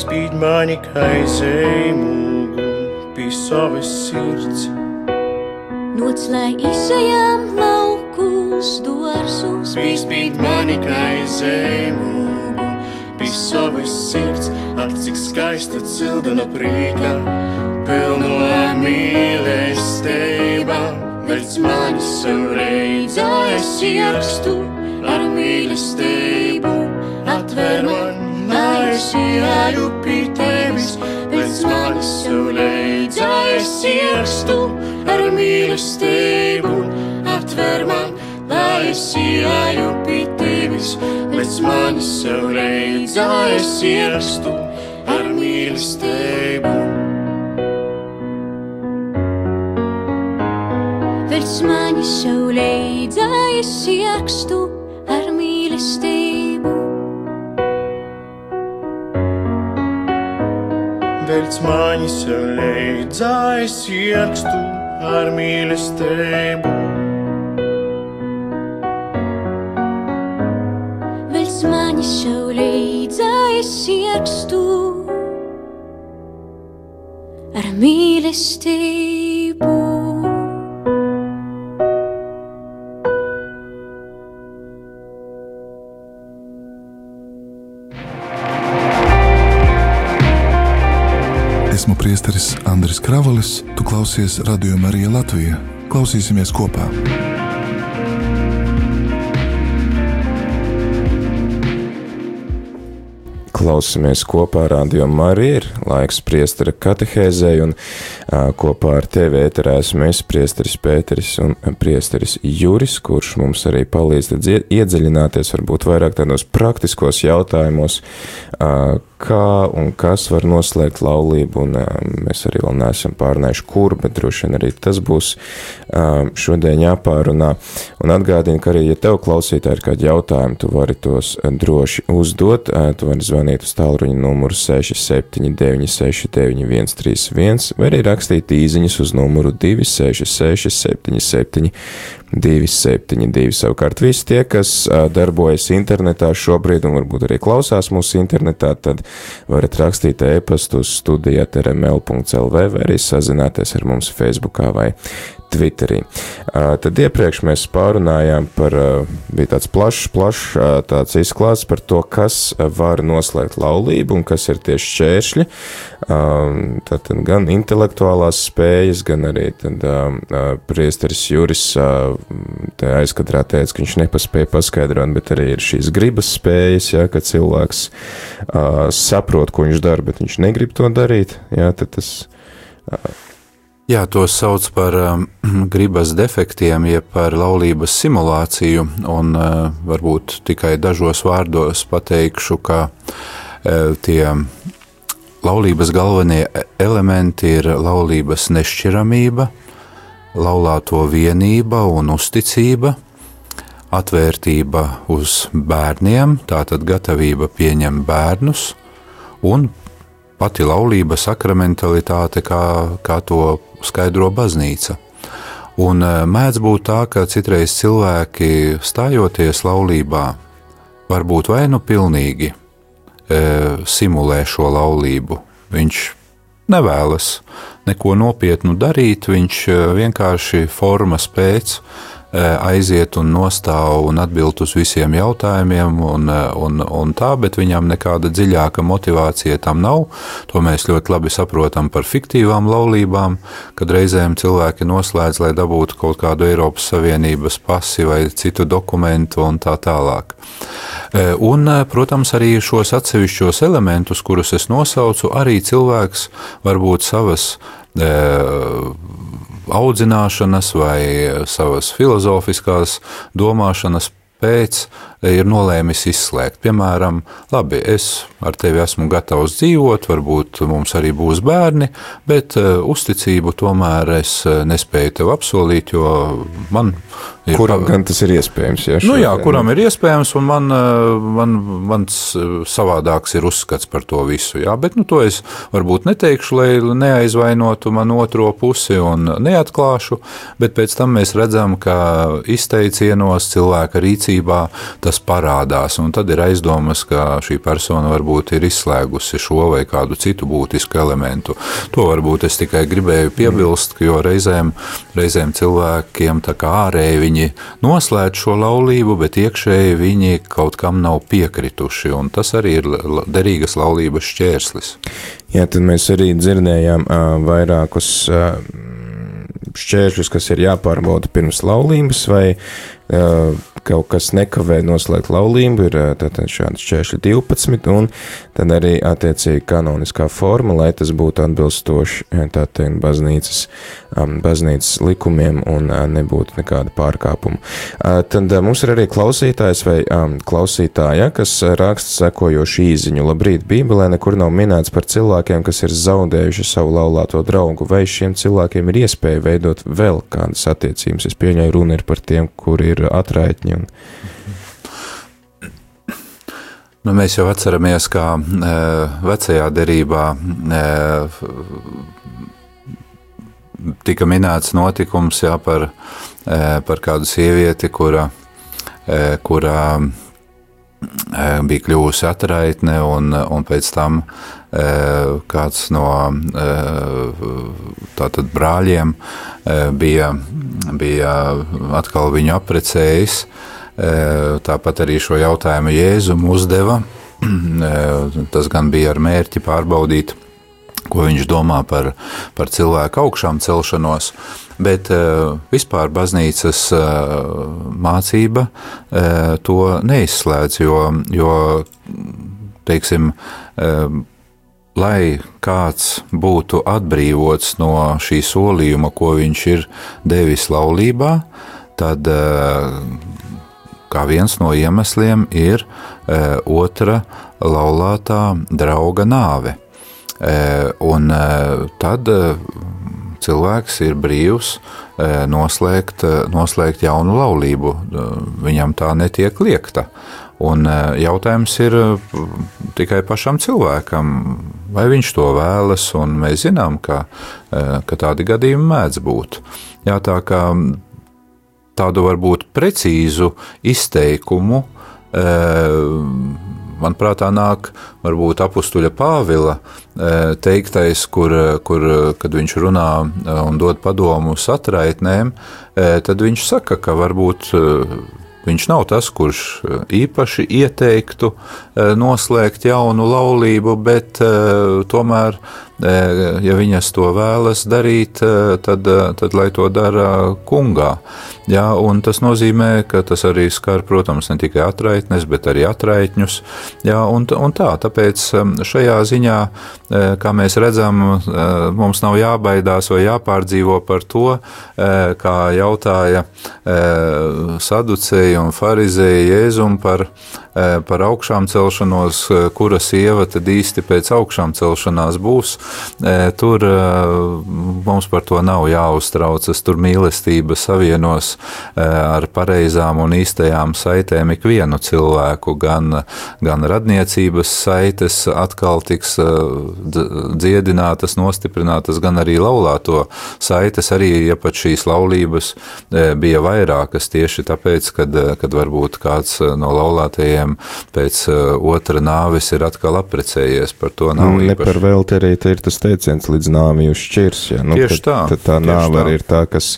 Spīd mani kā zemūgu pie savas sirds. Noc, lai izejam laukus dārzus. Spīd mani kā zemūgu pie savas sirds. Ak, cik skaista cildena prīka, pilno mīlestība. Velc mani saulē dzēs ierakstu ar mīlestību, atver man, lai es ieju pie tevis. Velc mani saulē dzēs ierakstu ar mīlestību, atver man, lai es ieju pie tevis. Velc mani saulē dzēs ierakstu ar mīlestību. Velc mani saulē dzēs ierakstu ar mīlestību. Velc mani saulē dzēs ierakstu ar mīlestību. Velc mani saulē dzēs ierakstu ar mīlestību. Esmu priesteris Andris Kravalis, tu klausies Radio Marija Latvija. Klausīsimies kopā. klausamies kopā Radio Marija, ir laiks priestera katehēzei, un kopā ar tevi ēterā esmu es, priesteris Pēteris un priesteris Juris, kurš mums arī palīdz iedziļināties varbūt vairāk tādos praktiskos jautājumos, kā un kas var noslēgt laulību, un mēs arī vēl neesam pārnājuši kur, bet droši vien arī tas būs šodien jāpārunā. Un atgādinu, ka arī, ja tev klausītāji ir kādi jautājumi, tu vari tos droši uzdot, tu vari zvanīt uz tālruņa numuru 679699131, vai arī rakstīt īziņas uz numuru 266 272. Savukārt visi tie, kas darbojas internetā šobrīd un varbūt arī klausās mūsu internetā, tad varat rakstīt e-pastu uz studija@rml.lv vai arī sazināties ar mums Facebookā vai Twitterī. Tad iepriekš mēs pārunājām par, bija tāds plašs tāds izklāsts par to, kas var noslēgt laulību un kas ir tieši šķēršļi. Tātad gan intelektuālās spējas, gan arī tad priesteris Juris te aizkadrā teica, ka viņš nepaspēja paskaidrot, bet arī ir šīs gribas spējas, ja, ka cilvēks saprot, ko viņš dara, bet viņš negrib to darīt, ja, tad tas... Jā, to sauc par gribas defektiem, jeb par laulības simulāciju, un varbūt tikai dažos vārdos pateikšu, ka tie laulības galvenie elementi ir laulības nešķiramība, laulāto vienība un uzticība, atvērtība uz bērniem, tātad gatavība pieņemt bērnus, un pati laulība sakramentalitāte, kā to skaidro baznīca. Un mēdz būt tā, ka citreiz cilvēki stājoties laulībā varbūt vai nu pilnīgi simulē šo laulību. Viņš nevēlas neko nopietnu darīt, viņš vienkārši formas pēc aiziet un nostāv un atbild uz visiem jautājumiem un tā, bet viņam nekāda dziļāka motivācija tam nav. To mēs ļoti labi saprotam par fiktīvām laulībām, kad reizēm cilvēki noslēdz, lai dabūtu kaut kādu Eiropas Savienības pasi vai citu dokumentu un tā tālāk. Un, protams, arī šos atsevišķos elementus, kurus es nosaucu, arī cilvēks varbūt savas audzināšanas vai savas filozofiskās domāšanas pēc ir nolēmis izslēgt. Piemēram, labi, es ar tevi esmu gatavs dzīvot, varbūt mums arī būs bērni, bet uzticību tomēr es nespēju tev apsolīt, jo man ir... Kuram gan tas ir iespējams? Ja, nu jā, kuram ir iespējams, un mans savādāks ir uzskats par to visu. Jā, bet to es varbūt neteikšu, lai neaizvainotu man otro pusi un neatklāšu, bet pēc tam mēs redzam, ka izteicienos cilvēka rīcībā tas parādās, un tad ir aizdomas, ka šī persona varbūt ir izslēgusi šo vai kādu citu būtisku elementu. To varbūt es tikai gribēju piebilst, jo reizēm cilvēkiem tā kā ārēji viņi noslēdz šo laulību, bet iekšēji viņi kaut kam nav piekrituši, un tas arī ir derīgas laulības šķērslis. Jā, tad mēs arī dzirdējām vairākus šķēršļus, kas ir jāpārbauda pirms laulības, vai kaut kas nekavē noslēgt laulību, ir tātad šādi šķēršļi 12, un tad arī attiecīgi kanoniskā forma, lai tas būtu atbilstoši tātad baznīcas likumiem un nebūtu nekāda pārkāpuma. Tad mums ir arī klausītājs vai klausītāja, kas raksta sekojošu īziņu. Labrīt, Bībelē nekur nav minēts par cilvēkiem, kas ir zaudējuši savu laulāto draugu, vai šiem cilvēkiem ir iespēja veidot vēl kādas attiecības. Es pieņēmu, runa ir par tiem, kuri ir atraitņi. Mēs jau atceramies, kā vecajā derībā tika minēts notikums par kādu sievieti, kura bija kļuvusi atraitne, un pēc tam kāds no tātad brāļiem bija atkal viņu apprecējis. Tāpat arī šo jautājumu Jēzum uzdeva. Tas gan bija ar mērķi pārbaudīt, ko viņš domā par cilvēku augšām celšanos, bet vispār baznīcas mācība to neizslēdz, jo teiksim, lai kāds būtu atbrīvots no šī solījuma, ko viņš ir devis laulībā, tad kā viens no iemesliem ir otra laulātā drauga nāve. Un tad cilvēks ir brīvs noslēgt jaunu laulību. Viņam tā netiek liekta. Un jautājums ir tikai pašam cilvēkam, vai viņš to vēlas, un mēs zinām, ka tādi gadījumi mēdz būt. Jā, tā kā tādu varbūt precīzu izteikumu, man prātā nāk varbūt apustuļa Pāvila teiktais, kad viņš runā un dod padomu satraitnēm, tad viņš saka, ka varbūt viņš nav tas, kurš īpaši ieteiktu noslēgt jaunu laulību, bet tomēr, ja viņas to vēlas darīt, tad lai to dara kungā. Jā, un tas nozīmē, ka tas arī skar, protams, ne tikai atraitnes, bet arī atraitņus. Jā, un tāpēc šajā ziņā, kā mēs redzam, mums nav jābaidās vai jāpārdzīvo par to, kā jautāja saducēji un farizēji Jēzum par augšām celšanos, kura sieva tad īsti pēc augšām celšanās būs. Tur mums par to nav jāuztraucas, tur mīlestība savienos ar pareizām un īstajām saitēm ikvienu cilvēku, gan radniecības saites atkal tiks dziedinātas, nostiprinātas, gan arī laulāto saites, arī ja pat šīs laulības bija vairākas tieši tāpēc, kad varbūt kāds no laulātajiem pēc otra nāves ir atkal apprecējies, par to nav īpaši. Ne par velti arī ir tas teiciens līdz nāvi jūs šķirs, ja? Tieši tā. Tad tā nāve arī ir tā, kas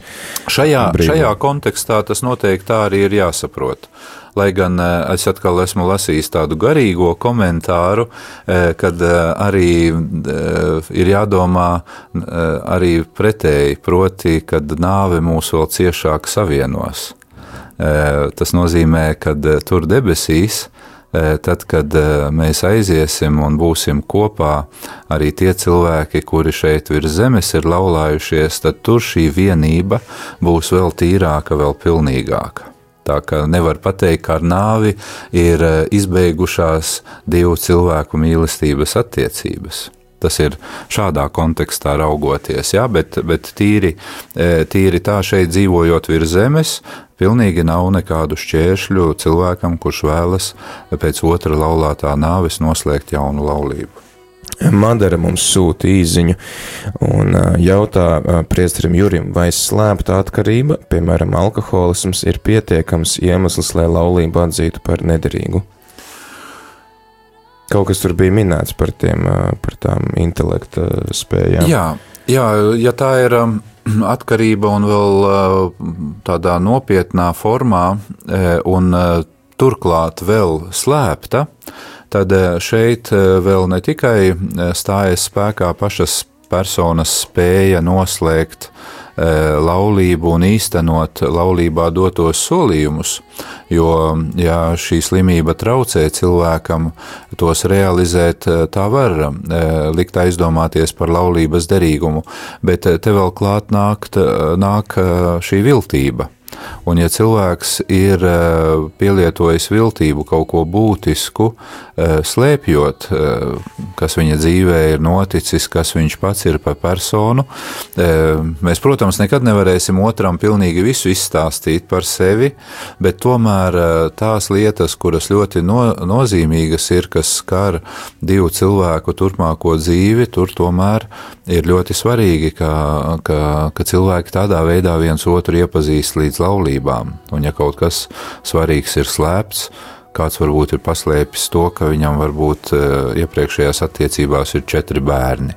Šajā kontekstā tas noteikti tā arī ir jāsaprot. Lai gan es atkal esmu lasījis tādu garīgo komentāru, kad arī ir jādomā arī pretēji, proti, kad nāve mūs vēl ciešāk savienos. Tas nozīmē, kad tur debesīs, tad, kad mēs aiziesim un būsim kopā, arī tie cilvēki, kuri šeit virs zemes ir laulājušies, tad tur šī vienība būs vēl tīrāka, vēl pilnīgāka. Tā kā nevar pateikt, ka ar nāvi ir izbeigušās divu cilvēku mīlestības attiecības. Tas ir šādā kontekstā raugoties, jā, bet tīri tā šeit dzīvojot virs zemes, pilnīgi nav nekādu šķēršļu cilvēkam, kurš vēlas pēc otra laulātā nāves noslēgt jaunu laulību. Madara mums sūta īziņu un jautā priesterim Jurim, vai slēpta atkarība, piemēram, alkoholisms, ir pietiekams iemesls, lai laulību atzītu par nederīgu? Kaut kas tur bija minēts par tām intelekta spējām. Jā, ja tā ir atkarība un vēl tādā nopietnā formā un turklāt vēl slēpta, tad šeit vēl ne tikai stājas spēkā pašas personas spēja noslēgt laulību un īstenot laulībā dotos solījumus, jo, ja šī slimība traucē cilvēkam tos realizēt, tā var likt aizdomāties par laulības derīgumu, bet te vēl klāt nāk šī viltība. Un ja cilvēks ir pielietojis viltību, kaut ko būtisku, slēpjot, kas viņa dzīvē ir noticis, kas viņš pats ir par personu, mēs, protams, nekad nevarēsim otram pilnīgi visu izstāstīt par sevi, bet tomēr tās lietas, kuras ļoti nozīmīgas ir, kas skar divu cilvēku turpmāko dzīvi, tur tomēr ir ļoti svarīgi, ka cilvēki tādā veidā viens otru iepazīst līdz laulībām. Un ja kaut kas svarīgs ir slēpts, kāds varbūt ir paslēpis to, ka viņam varbūt iepriekšējās attiecībās ir 4 bērni.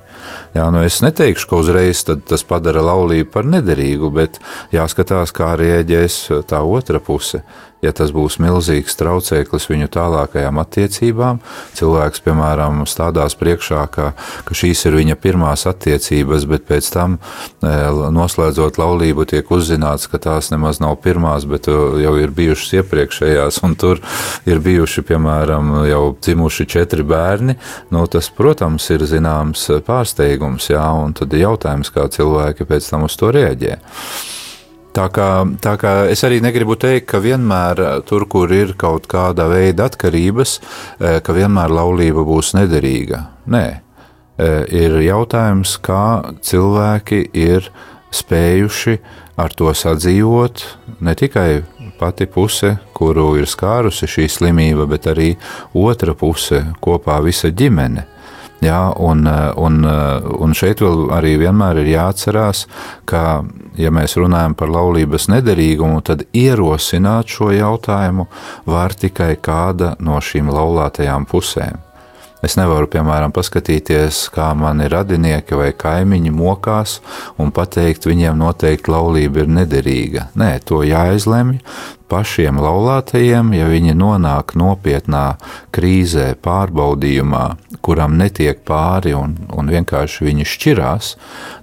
Jā, es neteikšu, ka uzreiz tas padara laulību par nederīgu, bet jāskatās, kā rēģēs tā otra puse. ja tas būs milzīgs traucēklis viņu tālākajām attiecībām, cilvēks, piemēram, stādās priekšā, ka šīs ir viņa pirmās attiecības, bet pēc tam, noslēdzot laulību, tiek uzzināts, ka tās nemaz nav pirmās, bet jau ir bijušas iepriekšējās, un tur ir bijuši, piemēram, jau dzimuši 4 bērni, tas, protams, ir zināms pārsteigums, jā, un tad ir jautājums, kā cilvēki pēc tam uz to reaģē. Tā kā es arī negribu teikt, ka vienmēr tur, kur ir kaut kāda veida atkarības, ka vienmēr laulība būs nederīga. Nē, ir jautājums, kā cilvēki ir spējuši ar to sadzīvot, ne tikai pati puse, kuru ir skārusi šī slimība, bet arī otra puse, kopā visa ģimene. Jā, un šeit vēl arī vienmēr ir jāatcerās, ka, ja mēs runājam par laulības nederīgumu, tad ierosināt šo jautājumu var tikai kāda no šīm laulātajām pusēm. Es nevaru, piemēram, paskatīties, kā mani radinieki vai kaimiņi mokās un pateikt, viņiem noteikti laulība ir nederīga. Nē, to jāizlemj pašiem laulātajiem, ja viņi nonāk nopietnā krīzē, pārbaudījumā, kuram netiek pāri un vienkārši viņi šķirās,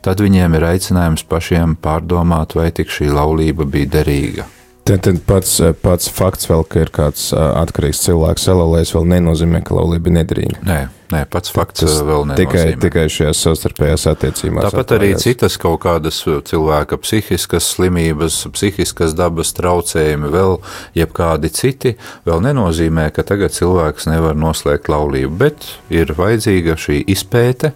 tad viņiem ir aicinājums pašiem pārdomāt, vai tik šī laulība bija derīga. Tad pats fakts vēl, ka ir kāds atkarīgs cilvēks salauzējis, vēl nenozīmē, ka laulība ir nederīga. Nē, pats fakts vēl nenozīmē. Tikai šajās savstarpējās attiecībās. Tāpat arī citas kaut kādas cilvēka psihiskas slimības, psihiskas dabas traucējumi, vēl jebkādi citi, vēl nenozīmē, ka tagad cilvēks nevar noslēgt laulību, bet ir vajadzīga šī izpēte,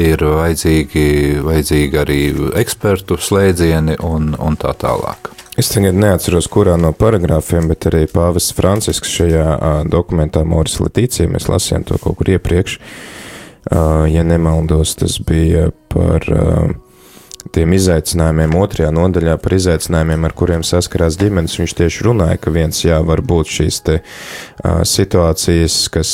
ir vajadzīgi arī ekspertu slēdzieni un tā tālāk. Es tagad neatceros, kurā no paragrāfiem, bet arī pāvests Francisks šajā dokumentā Moris Laetitia, mēs lasījām to kaut kur iepriekš, ja nemaldos, tas bija par tiem izaicinājumiem, 2. nodaļā par izaicinājumiem, ar kuriem saskarās ģimenes. Viņš tieši runāja, ka var būt šīs te situācijas, kas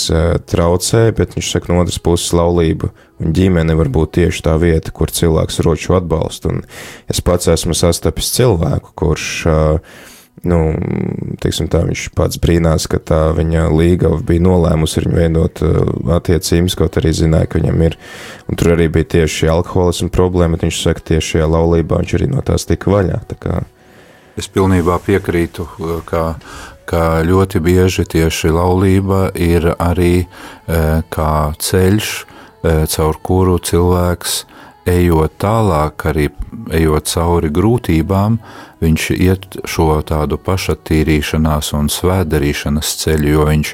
traucē, bet viņš saka, no otras puses laulība un ģimene var būt tieši tā vieta, kur cilvēks rod šo atbalstu. Un es pats esmu sastapis cilvēku, kurš, teiksim tā, viņš pats brīnās, ka tā viņa līgava bija nolēmusi ar viņu veidot attiecības, kaut arī zināja, ka viņam ir, un tur arī bija tieši alkoholisma problēma, bet viņš saka, tieši šajā laulībā viņš arī no tās tika vaļā. Tā kā... Es pilnībā piekrītu, ka ļoti bieži tieši laulība ir arī kā ceļš, caur kuru cilvēks, ejot tālāk, arī ejot cauri grūtībām, viņš iet šo tādu pašattīrīšanās un svētdarīšanas ceļu, jo viņš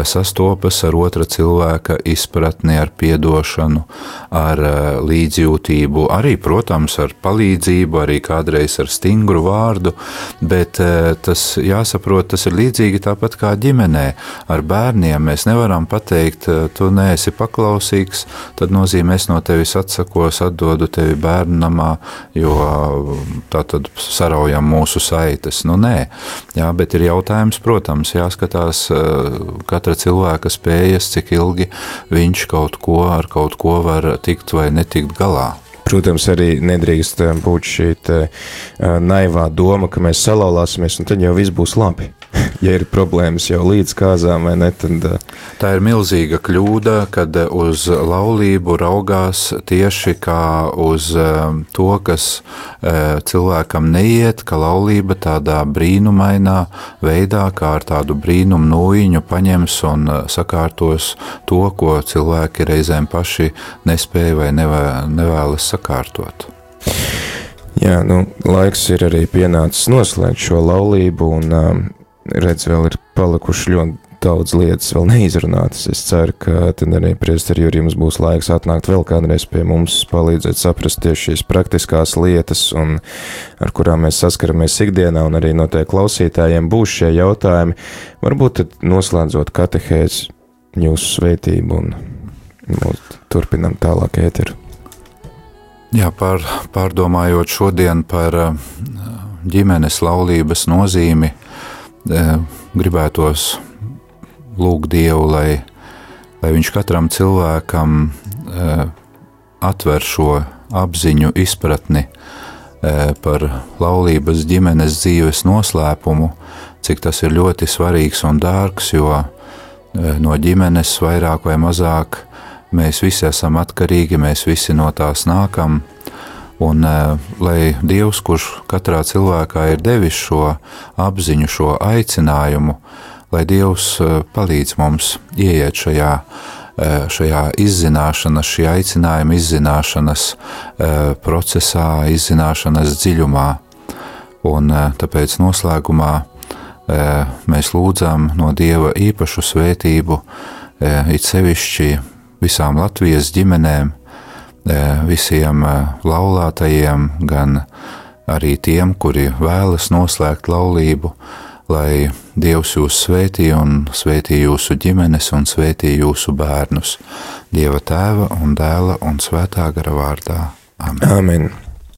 sastopas ar otra cilvēka izpratni, ar piedošanu, ar līdzjūtību, arī, protams, ar palīdzību, arī kādreiz ar stingru vārdu, bet tas jāsaprot, tas ir līdzīgi tāpat kā ģimenē. Ar bērniem mēs nevaram pateikt, tu neesi paklausīgs, tad nozīmē es no tevis atsakos, atdodu tevi bērnu namā, jo tā tad saraujam mūsu saites. Nē, jā, bet ir jautājums, protams, jāskatās katra cilvēka spējas, cik ilgi viņš ar kaut ko var tikt vai netikt galā. Protams, arī nedrīkst būt šī naivā doma, ka mēs salauzāsimies un tad jau viss būs labi. Ja ir problēmas jau līdz kāzām vai ne, tad... Tā ir milzīga kļūda, kad uz laulību raugās tieši kā uz to, kas cilvēkam neiet, ka laulība tādā brīnumainā veidā, kā ar tādu brīnumu nūjiņu paņems un sakārtos to, ko cilvēki reizēm paši nespēja vai nevēlas sakārtot. Jā, laiks ir arī pienācis noslēgt šo laulību un redz, vēl ir palikuši ļoti daudz lietas vēl neizrunātas. Es ceru, ka tad arī priesteri Juri jums būs laiks atnākt vēl kādreiz pie mums, palīdzēt saprast tieši šīs praktiskās lietas, un ar kurām mēs saskaramies ikdienā, un arī no tie klausītājiem būs šie jautājumi. Varbūt tad noslēdzot katehēzi jūsu svētību un turpinam tālāk ēteru. Jā, pārdomājot šodien par ģimenes laulības nozīmi, gribētos lūgt Dievu, lai viņš katram cilvēkam atver šo apziņu, izpratni par laulības ģimenes dzīves noslēpumu, cik tas ir ļoti svarīgs un dārgs, jo no ģimenes vairāk vai mazāk mēs visi esam atkarīgi, mēs visi no tās nākam, un lai Dievs, kurš katrā cilvēkā ir devis šo apziņu, šo aicinājumu, lai Dievs palīdz mums ieiet šajā izzināšanas, šī aicinājuma izzināšanas procesā, izzināšanas dziļumā. Un tāpēc noslēgumā mēs lūdzam no Dieva īpašu svētību, it sevišķi visām Latvijas ģimenēm, visiem laulātajiem, gan arī tiem, kuri vēlas noslēgt laulību, lai Dievs jūs svētī un svētī jūsu ģimenes un svētī jūsu bērnus. Dieva Tēva un Dēla un Svētā gara vārdā. Amen. Amen.